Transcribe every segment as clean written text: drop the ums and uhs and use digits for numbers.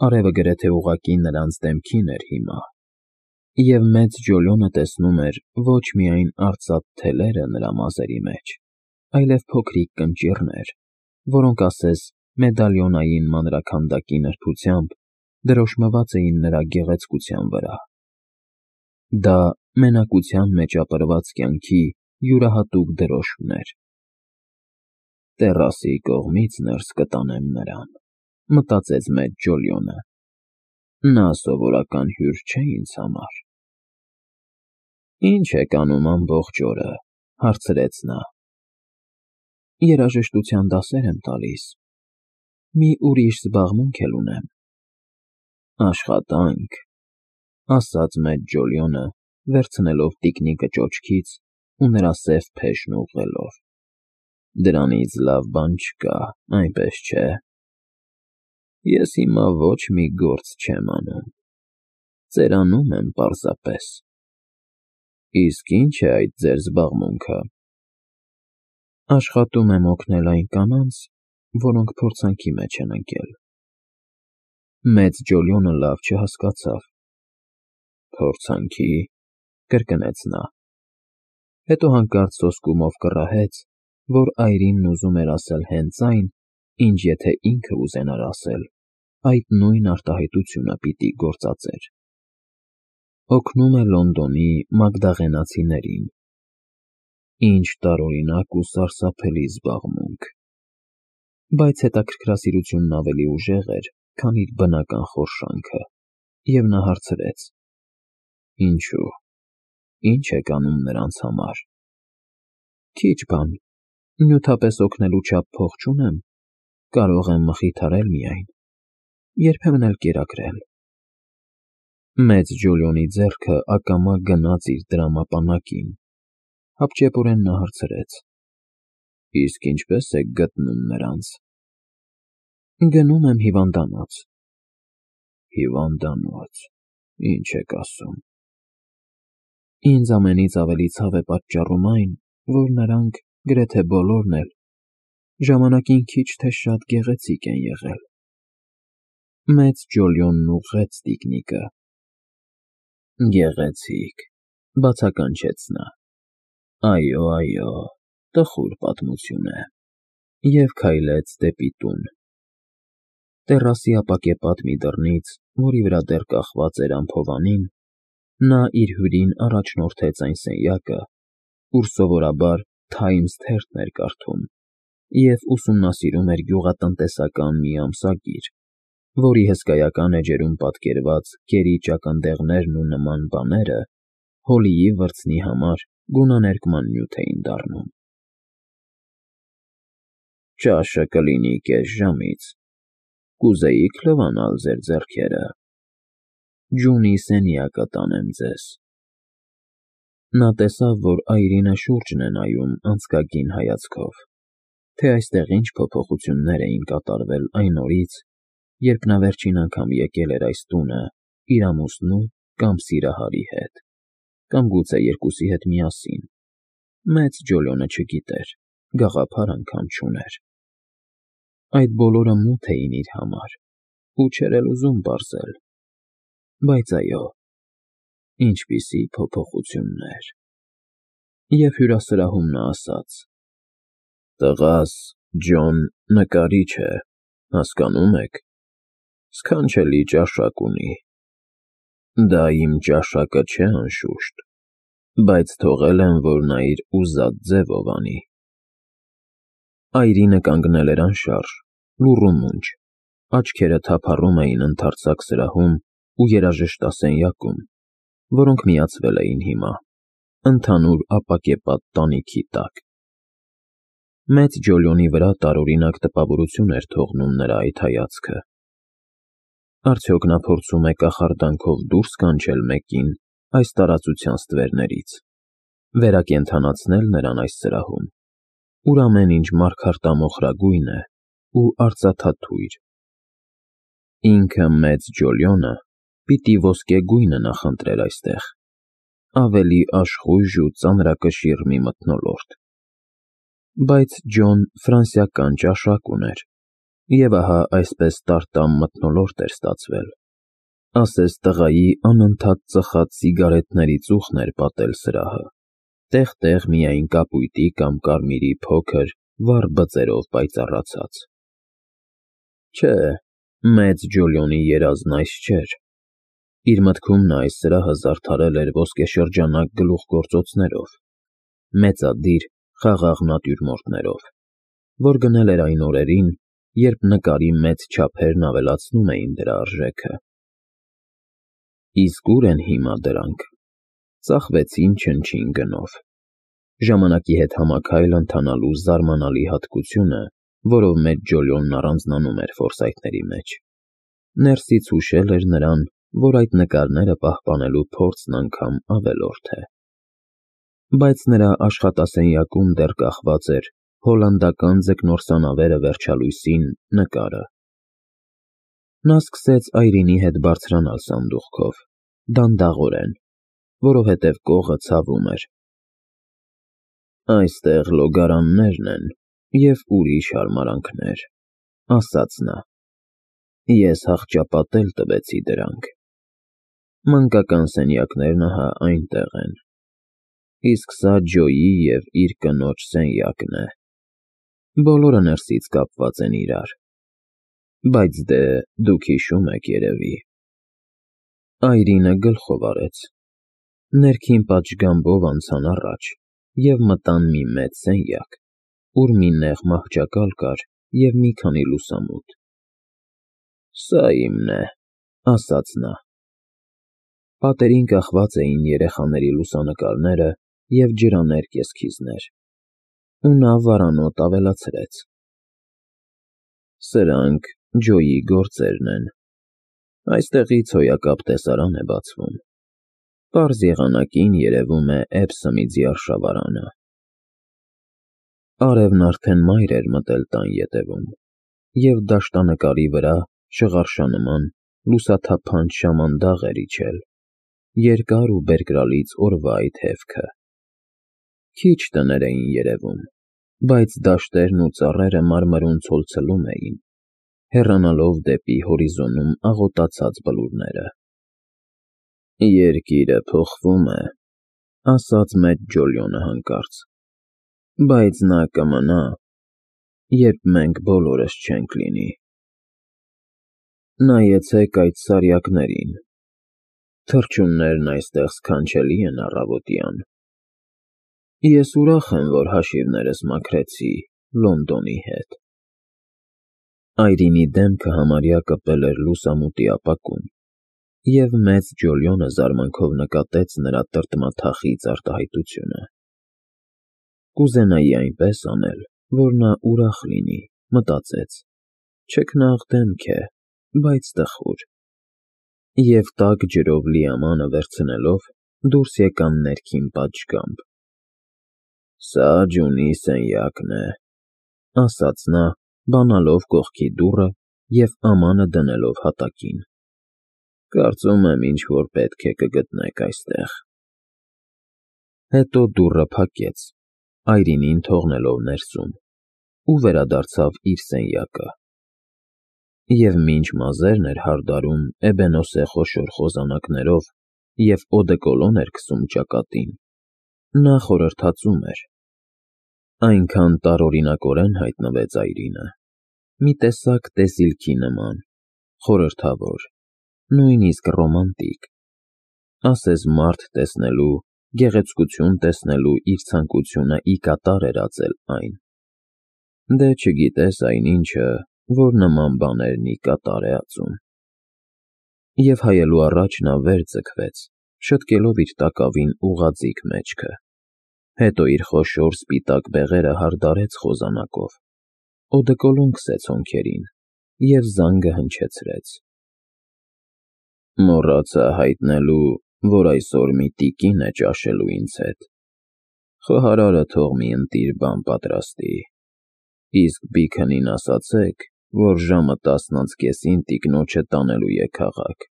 Արևը գրեթե ուղղակի նրանց դեմքին էր հիմա, և մեծ Ջոլյոնը տեսնում էր ոչ միայն արծաթ թելերը նրա մազերի մեջ, այլև փոքրիկ կնճիռներ, որոնք ասես մեդալիոնային մանրաքանդակի նրբությամբ դրոշմված էին նրա գեղեցկության վրա։ Դա մենակության մեջ ապրված կյանքի յուրահատուկ դրոշմն էր։ «Տեռասի կողմից ներս կտանեմ նրան», մտածեց մեծ Ջոլյոնը։ «Նա սովորական հյուր չէ ինձ համար»։ «Ի՞նչ եք անում ամբողջ օրը», հարցրեց նա։ «Երաժշտության դասեր եմ տալիս։ Մի ուրիշ զբաղմունք էլ ունեմ»։ «Աշխատանք», ասաց մեծ Ջոլյոնը, վերցնելով տիկնիկը ճոճքից ու նրա սև փեշն ուղղելով։ «Դրանից լավ բան չկա, այնպես չէ։ Ես հիմա ոչ մի գործ չեմ անում, ծերանում եմ պարզապես»։ «Իսկ ի՞նչ է այդ ձեր զբաղմունքը»։ «Աշխատում եմ օգնել այն կանանց, որոնք փորձանքի մեջ են ընկել»։ Մեծ Ջոլյոնը լավ չհասկացավ։ «Փորձանքի՞, կրկնեց նա։ Հետո հանկարծ սոսկումով կռահեց, որ այրինն ուզում էր ասել հենց այն, ինչ եթե ինքը ուզենար ասել, այդ նույն արտահայտությունը պիտի գործածեր։ Օգնում է Լոնդոնի մագդաղենացիներին։ Ինչ տարօրինակ ու սարսափելի զբաղմունք։ Բայց հետաքրքրասիրությունն ավելի ուժեղ էր, քան իր բնական խորշանքը, և նա հարցրեց. «Ինչու՞, ի՞նչ եք անում նրանց համար»։ «Քիչ բան, նյութապես օգնելու չափ փող չունեմ, կարող եմ մխիթարել միայն, երբեմն էլ կերակրել»։ Մեծ Ջոլյոնի ձեռքը ակամա գնաց իր տրամապանակին, հապճեպորեն նա հարցրեց. «Իսկ ինչպե՞ս եք գտնում նրանց»։ «Գնում եմ հիվանդանոց»։ «Հիվանդանոց, ինչ եք ասում»։ «Ինձ ամենից ավելի ցավ է պատճառում այն, որ նրանք, գրեթե բոլորն էլ, ժամանակին քիչ թե շատ գեղեցիկ են եղել»։ Մեծ Ջոլյոնն ուղղեց տիկնիկը։ «Գեղեցիկ», բացականչեց նա։ «Այո, այո, տխուր պատմություն է», և քայլեց դեպի տուն։ Տեռասի ապակեպատ մի դռնից, որի վրա դեռ կախված էր ամփովանին, նա իր հյուրին առաջնորդեց այն սենյակը, ուր սովորաբար Թայմս թերթն էր կարդում և ուսումնասիրում էր գյուղատնտեսական մի ամսագիր, որի հսկայական էջերում պատկերված կերիճ ակնդեղներն ու նման բաները Հոլիի վրձնի համար գունաներկման նյութ էին դառնում։ «Ճաշը կլինի կես ժամից, կուզեի՞ք լվանալ ձեր ձեռքերը։ Ջունի սենյակը տանեմ ձեզ»։ Նա տեսավ, որ այրինը շուրջն է նայում անձկագին հայացքով, թե այստեղ ինչ փոփոխություններ էին կատարվել այն օրից, երբ նա վերջին անգամ եկել էր այս տունը իր ամուսնու կամ սիրահարի հետ, կամ գուցե երկուսի հետ միասին, մեծ Ջոլյոնը չգիտեր, գաղափար անգամ չուներ։ Այդ բոլորը մութ էին իր համար, ու չէր էլ ուզում պարզել։ Բայց այո, ինչպիսի փոփոխություններ։ Եվ հյուրասրահում նա ասաց. «Տղաս, Ջոն, նկարիչ է, հասկանում եք, սքանչելի ճաշակ ունի։ Դա իմ ճաշակը չէ, անշուշտ, բայց թողել եմ, որ նա իր ուզած ձևով անի»։ Այրինը կանգնել էր անշարժ, լուռ ու մունջ, աչքերը թափառում էին ընդարձակ սրահում ու երաժշտասենյակում, որոնք միացվել էին հիմա, ընդհանուր ապակեպատ տանիքի տակ։ Մեծ Ջոլյոնի վրա տարօրինակ տպավորություն էր թողնում նրա այդ հայացքը։ Արդյոք նա փորձում է կախարդանքով դուրս կանչել մեկին այս տարածության ստվերներից, վերակենդանացնել նրան այս սրահում, ուր ամեն ինչ մարգարտամոխրագույն է ու արծաթաթույր։ Ինքը մեծ Ջոլյոնը պիտի ոսկեգույնը նախընտրեր այստեղ, ավելի աշխույժ ու ծանրակշիռ մի մթնոլորտ։ Բայց Ջոն ֆրանսիական ճաշակ ուներ, Եվ ահա այսպես տարտամ մթնոլորտ էր ստացվել, ասես տղայի անընդհատ ծխած սիգարետների ծուխն էր պատել սրահը, տեղ-տեղ միայն կապույտի կամ կարմիրի փոքր, վառ բծերով պայծառացած։ Չէ, մեծ Ջոլիոնի երազն այս չէր։ Իր մտքում նա այս սրահը զարդարել էր ոսկեշրջանակ գլուխգործոցներով, մեծադիր, խաղաղ նատյուրմորտներով, որ գնել էր այն օրերին, երբ նկարի մեծ չափերն ավելացնում էին դրա արժեքը։ Իսկ ուր են հիմա դրանք։ Ծախվեցին չնչին գնով։ Ժամանակի հետ համաքայլ ընթանալու զարմանալի հատկությունը, որով մեծ Ջոլիոնն առանձնանում էր ֆորսայթների մեջ, ներսից հուշել էր նրան, որ այդ նկարները պահպանելու փորձն անգամ ավելորդ է։ Բայց նրա աշխատասենյակում դեռ կախված էր հոլանդական ձկնորսանավերը վերջալույսին նկարը։ Նա սկսեց Այրինի հետ բարձրանալ սանդուղքով, դանդաղորեն, որովհետև կողը ցավում էր։ Այստեղ լոգարաններն են և ուրիշ հարմարանքներ, ասաց նա։ Ես հախճապատել տվեցի դրանք։ Մանկական սենյակներն ահա այնտեղ են։ Իսկ սա Ջոյի և իր կնոջ սենյակն է։ Բոլորը ներսից կապված են իրար։ Բայց դե, դուք հիշում եք երևի։ Այրինը գլխով արեց։ Ներքին պատշգամբով անցան առաջ և մտան մի մեծ սենյակ, ուր մի նեղ մահճակալ կար և մի քանի լուսամուտ։ Սա իմն է, ասաց նա։ Պատերին կախված էին երեխաների լուսանկարները և ջրաներկ էսքիզներ, ու նա վարանոտ ավելացրեց. Սրանք Ջոյի գործերն են։ Այստեղից հոյակապ տեսարան է բացվում։ Պարզ եղանակին երևում է Էբսոմի ձիարշավարանը։ Արևն արդեն մայր էր մտել տան ետևում, և դաշտանկարի վրա շղարշանման լուսաթափանչ շամանդաղ էր իջել, երկար ու բերկրալից օրվա այդ հևքը։ Քիչ տներ էին երևում, բայց դաշտերն ու ծառերը մարմրուն ցոլցլում էին, հեռանալով դեպի հորիզոնում աղոտացած բլուրները։ Երկիրը փոխվում է, ասաց մեծ Ջոլիոնը հանկարծ, բայց նա կմնա, երբ մենք բոլորս չենք լինի։ Նայեցեք այդ սարյակներին։ Թռչուններն այստեղ սքանչելի են առավոտյան։ Ես ուրախ եմ, որ հաշիվներս մաքրեցի Լոնդոնի հետ։ Այրինի դեմքը համարյա կպել էր լուսամուտի ապակուն, և մեծ Ջոլիոնը զարմանքով նկատեց նրա տրտմաթախիծ արտահայտությունը։ Կուզենայի այնպես անել, որ նա ուրախ լինի, մտածեց, չքնաղ դեմք է, բայց տխուր։ Եվ տաք ջրով լի ամանը վերցնելով դուրս եկան ներքին պատշգամբ։ Սա Ջունի սենյակն է, ասաց նա, բանալով կողքի դուռը և ամանը դնելով հատակին։ Կարծում եմ ինչ֊որ պետք է կգտնեք այստեղ։ Հետո դուռը փակեց, Այրինին թողնելով ներսում, ու վերադարձավ իր սենյակը։ Եվ մինչ մազերն էր հարդարում էբենոսե խոշոր խոզանակներով և օդեկոլոն էր քսում ճակատին, նա խորհրդածում էր։ Այնքան տարօրինակորեն հայտնվեց Այրինը, մի տեսակ տեսիլքի նման, խորհրդավոր, նույնիսկ ռոմանտիկ, ասես մարդ տեսնելու, գեղեցկություն տեսնելու իր ցանկությունը ի կատար էր ածել այն։ Դե չգիտես այնինչը, որ նման բաներն ի կատար է ածում։ Եվ հայելու առաջ նա վեր ձգվեց, շտկելով իր տակավին ուղղաձիգ մեջքը, հետո իր խոշոր սպիտակ բեղերը հարդարեց խոզանակով, օդեկոլոն քսեց հոնքերին և զանգը հնչեցրեց։ Մոռացա հայտնելու, որ այսօր մի տիկին է ճաշելու ինձ հետ։ Խոհարարը թող մի ընտիր բան պատրաստի, իսկ Բիքնին ասացեք, որ ժամը 10:30-ին տիկնոջը տանելու է քաղաք,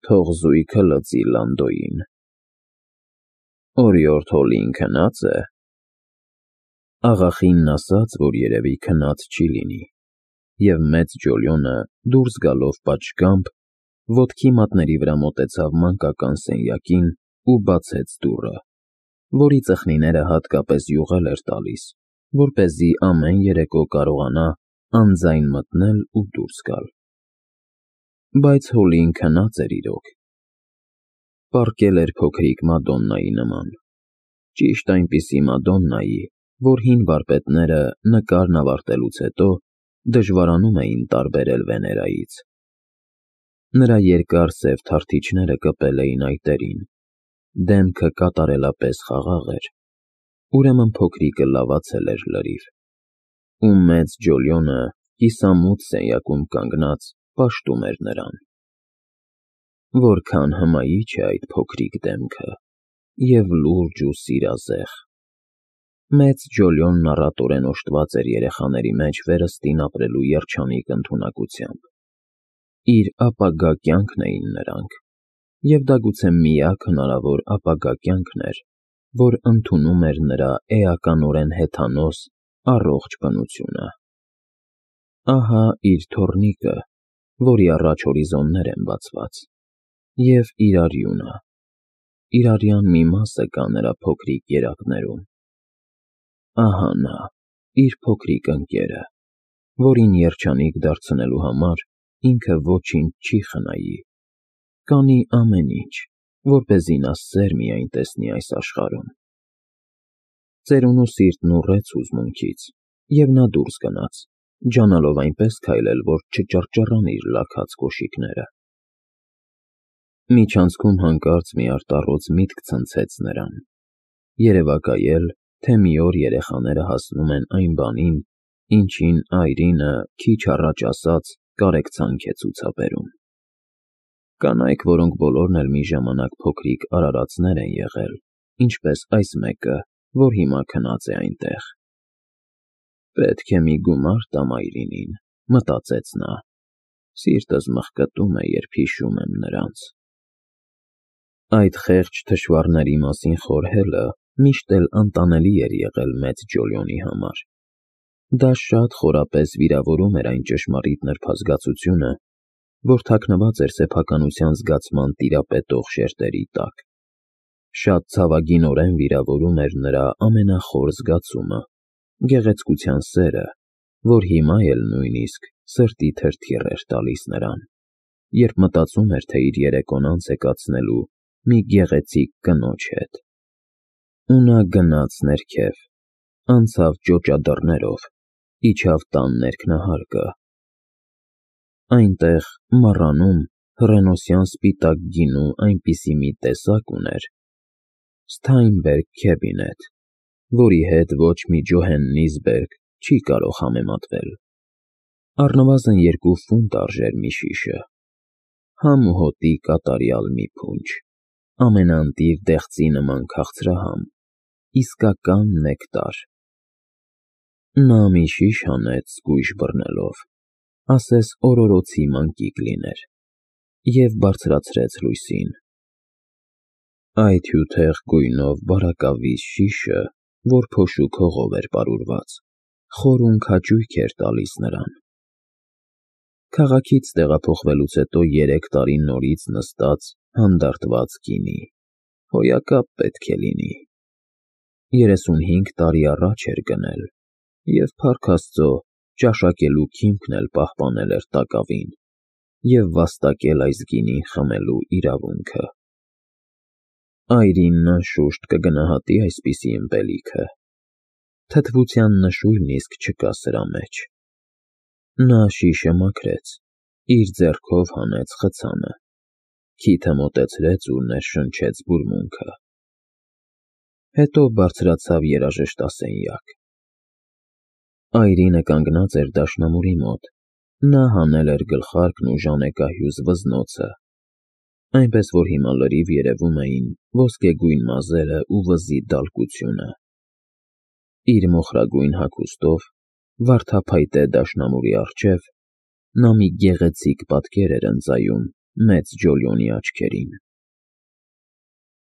թող զույգը լծի Լանդոյին։ Օրիորդ Հոլին քնա՞ծ է։ Աղախինն ասաց, որ երևի քնած չի լինի, և մեծ Ջոլիոնը դուրս գալով պատշգամբ, ոտքի մատների վրա մոտեցավ մանկական սենյակին ու բացեց դուռը, որի ծխնիները հատկապես յուղել էր տալիս, որպեսզի ամեն երեկո կարողանա անձայն մտնել ու դուրս գալ։ Բայց Հոլին քնած էր իրոք։ Պառկել էր փոքրիկ Մադոննայի նման, ճիշտ այնպիսի Մադոննայի, որ հին վարպետները նկարն ավարտելուց հետո դժվարանում էին տարբերել Վեներայից։ Նրա երկար սև թարթիչները կպել էին այտերին, դեմքը կատարելապես խաղաղ էր, ուրեմն փոքրիկը լավացել էր լրիվ, ու մեծ Ջոլիոնը կիսամութ սենյակում կանգնած պաշտում էր նրան։ Որքան հմայիչ է այդ փոքրիկ դեմքը, և լուրջ ու սիրազեղ։ Մեծ Ջոլիոնն առատորեն օժտված էր երեխաների մեջ վերստին ապրելու երջանիկ ընդունակությամբ։ Իր ապագա կյանքն էին նրանք, և դա գուցե միակ հնարավոր ապագա կյանքն էր, որ ընդունում էր նրա էականորեն հեթանոս, առողջ բնությունը։ Ահա իր թոռնիկը, որի առաջ հորիզոններ են բացված, և իր արյունը, իր արյան մի մասը կա նրա փոքրիկ երակներում։ Ահա նա, իր փոքրիկ ընկերը, որին երջանիկ դարձնելու համար ինքը ոչինչ չի խնայի, կանի ամեն ինչ, որպեսզի նա սեր միայն տեսնի այս աշխարհում։ Ծերունու սիրտն ուռեց հուզմունքից, և նա դուրս գնաց, ջանալով այնպես քայլել, որ չճռճռան իր լաքած կոշիկները։ Միջանցքում հանկարծ մի արտառոց միտք ցնցեց նրան. երևակայել, թե մի օր երեխաները հասնում են այն բանին, ինչին այրինը, քիչ առաջ ասած, կարեկցանք է ցուցաբերում։ Կանայք, որոնք բոլորն էլ մի ժամանակ փոքրիկ արարածներ են եղել, ինչպես այս մեկը, որ հիմա քնած է այնտեղ։ Պետք է մի գումար տամ այրինին, մտածեց նա, սիրտս մխկտում է, երբ հիշում եմ նրանց։ Այդ խեղճ թշվառների մասին խորհելը միշտ էլ անտանելի էր եղել մեծ Ջոլիոնի համար։ Դա շատ խորապես վիրավորում էր այն ճշմարիտ նրբազգացությունը, որ թաքնված էր սեփականության զգացման տիրապետող շերտերի տակ։ Շատ ցավագինորեն վիրավորում էր նրա ամենախոր զգացումը՝ գեղեցկության սերը, որ հիմա էլ նույնիսկ սրտի թրթիռ էր տալիս նրան, երբ մտածում էր, թե իր երեկոն անց է կացնելու մի գեղեցիկ կնոջ հետ։ Ու նա գնաց ներքև, անցավ ճոճադռներով, իջավ տան ներքնահարկը։ Այնտեղ, մառանում, հռենոսյան սպիտակ գինու այնպիսի մի տեսակ ուներ Steinberg Cabinet, որի հետ ոչ մի Ջոհեննիսբերգ չի կարող համեմատվել։ Առնվազն 2 ֆունտ արժեր մի շիշը։ Համ ու հոտի կատարյալ մի փունջ, ամենաընտիր դեղցի նման քաղցրահամ, իսկական նեկտար։ Նա մի շիշ հանեց զգույշ բռնելով, ասես օրորոցի մանկիկ լիներ, և բարձրացրեց լույսին։ Այդ հյութեղ գույնով բարակավիզ շիշը, որ փոշուկ հողով էր պարուրված, խորուն քաջույք էր տալիս նրան։ Քաղաքից տեղափոխվելուց հետո 3 տարի նորից նստած, հանդարտված գինի, հոյակապ պետք է լինի։ 35 տարի առաջ էր գնել, և փառք Աստծո, ճաշակելու քիմքն էլ պահպանել էր տակավին և վաստակել այս գինին խմելու իրավունքը։ Այրինն անշուշտ կգնահատի այսպիսի ըմպելիքը։ Թթվության նշույլն իսկ չկա սրա մեջ։ Նա շիշը մաքրեց, իր ձեռքով հանեց խցանը, քիթը մոտեցրեց ու ներշնչեց բուրմունքը։ Հետո բարձրացավ երաժշտասենյակ։ Այրինը կանգնած էր դաշնամուրի մոտ, նա հանել էր գլխարկն ու ժանեկահյուզ վզնոցը, այնպես որ հիմա լրիվ երևում էին ոսկեգույն մազերը ու վզի դալկությունը։ Իր մոխրագույն հագուստով, վարդափայտե դաշնամուրի առջև, նա մի գեղեցիկ պատկեր էր ընծայում մեծ Ջոլիոնի աչքերին։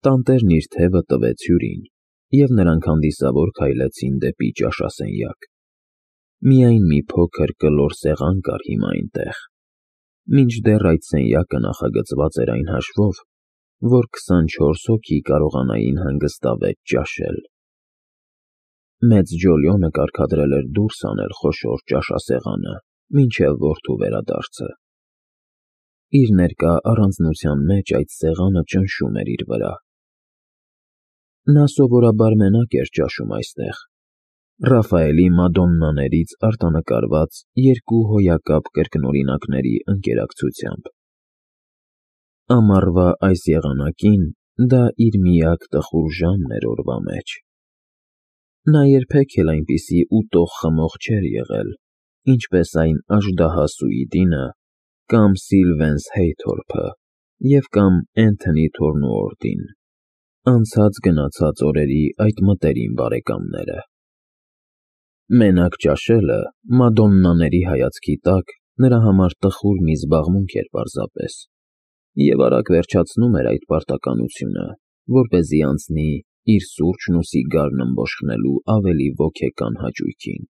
Տանտերն իր թևը տվեց հյուրին, և նրանք հանդիսավոր քայլեցին դեպի ճաշասենյակ։ Միայն մի փոքր կլոր սեղան կար հիմա այնտեղ, մինչդեռ այդ սենյակը նախագծված էր այն հաշվով, որ 24 հոգի կարողանային հանգստավետ ճաշել։ Մեծ Ջոլիոնը կարգադրել էր դուրս անել խոշոր ճաշասեղանը, մինչև որդու վերադարձը։ Իր ներկա առանձնության մեջ այդ սեղանը ճնշում էր իր վրա։ Նա սովորաբար մենակ էր ճաշում այստեղ, Ռաֆայելի մադոննաներից արտանկարված երկու հոյակապ կրկնօրինակների ընկերակցությամբ։ Ամառվա այս եղանակին դա իր միակ տխուր ժամն էր օրվա մեջ։ Նա երբեք էլ այնպիսի ուտող-խմող չէր եղել, ինչպես այն աժդահաս Սուիդինը կամ Սիլվենս Հեյթորփը և կամ Էնթոնի Թորնուորդին, անցած-գնացած օրերի այդ մտերիմ բարեկամները։ Մենակ ճաշելը, մադոննաների հայացքի տակ, նրա համար տխուր մի զբաղմունք էր պարզապես, և արագ վերջացնում էր այդ պարտականությունը, որպեսզի անցնի իր սուրճն ու սիգարն ըմբոշխնելու ավելի ոգեկան հաճույքին։